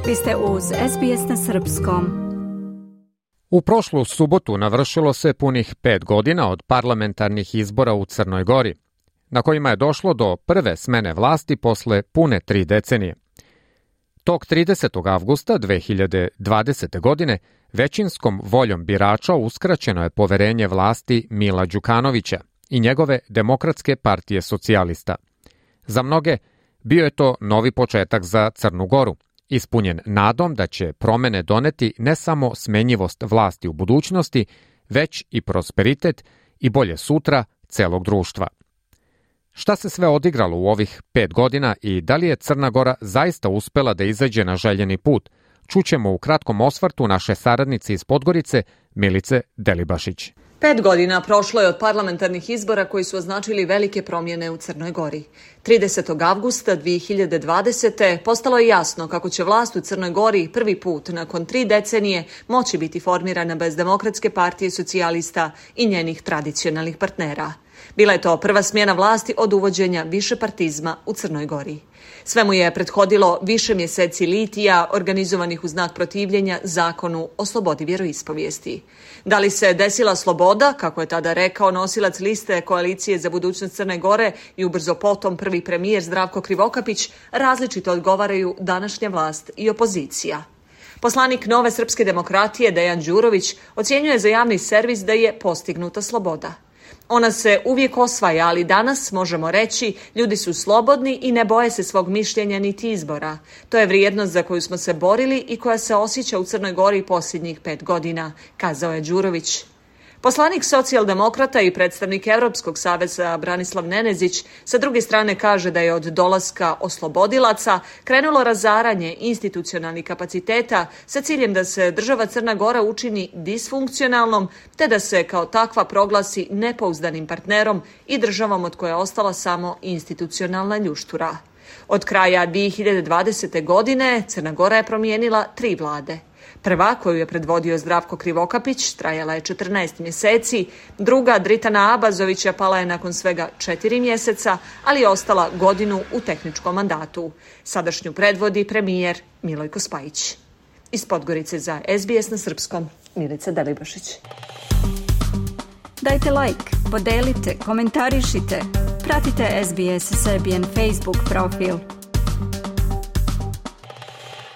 Vi ste uz SBS na srpskom. U prošlu subotu navršilo se punih 5 godina od parlamentarnih izbora u Crnoj Gori, na kojima je došlo do prve smene vlasti posle pune 3 decenije. Tog 30. avgusta 2020. godine većinskom voljom birača uskraćeno je poverenje vlasti Mila Đukanovića i njegove Demokratske partije socijalista. Za mnoge bio je to novi početak za Crnu Goru, ispunjen nadom da će promene doneti ne samo smenjivost vlasti u budućnosti, već i prosperitet i bolje sutra celog društva. Šta se sve odigralo u ovih 5 godina i da li je Crna Gora zaista uspela da izađe na željeni put, čućemo u kratkom osvrtu naše saradnice iz Podgorice, Milice Delibašić. 5 godina prošlo je od parlamentarnih izbora koji su označili velike promjene u Crnoj Gori. 30. avgusta 2020. postalo je jasno kako će vlast u Crnoj Gori prvi put nakon 3 decenije moći biti formirana bez Demokratske partije socijalista i njenih tradicionalnih partnera. Bila je to prva smjena vlasti od uvođenja višepartizma u Crnoj Gori. Sve mu je prethodilo više mjeseci litija organizovanih u znak protivljenja zakonu o slobodi vjeroispovijesti. Da li se desila sloboda, kako je tada rekao nosilac liste Koalicije za budućnost Crne Gore i ubrzo potom prvi premijer Zdravko Krivokapić, različito odgovaraju današnja vlast i opozicija. Poslanik Nove srpske demokratije Dejan Đurović ocjenjuje za javni servis da je postignuta sloboda. Ona se uvijek osvaja, ali danas možemo reći ljudi su slobodni i ne boje se svog mišljenja niti izbora. To je vrijednost za koju smo se borili i koja se osjeća u Crnoj Gori posljednjih 5 godina, kazao je Đurović. Poslanik socijaldemokrata i predstavnik Europskog saveza Branislav Nenezić sa druge strane kaže da je od dolaska oslobodilaca krenulo razaranje institucionalnih kapaciteta sa ciljem da se država Crna Gora učini disfunkcionalnom te da se kao takva proglasi nepouzdanim partnerom i državom od koje je ostala samo institucionalna ljuštura. Od kraja 2020. godine Crna Gora je promijenila 3 vlade. Prva, koju je predvodio Zdravko Krivokapić, trajala je 14 mjeseci, druga Dritana Abazovića pala je nakon svega 4 mjeseca, ali je ostala godinu u tehničkom mandatu. Sadašnju predvodi premijer Milojko Spajić. Iz Podgorice za SBS na srpskom, Milica Delibašić. Dajte like, podelite, komentarišite, pratite SBS Serbian Facebook profil.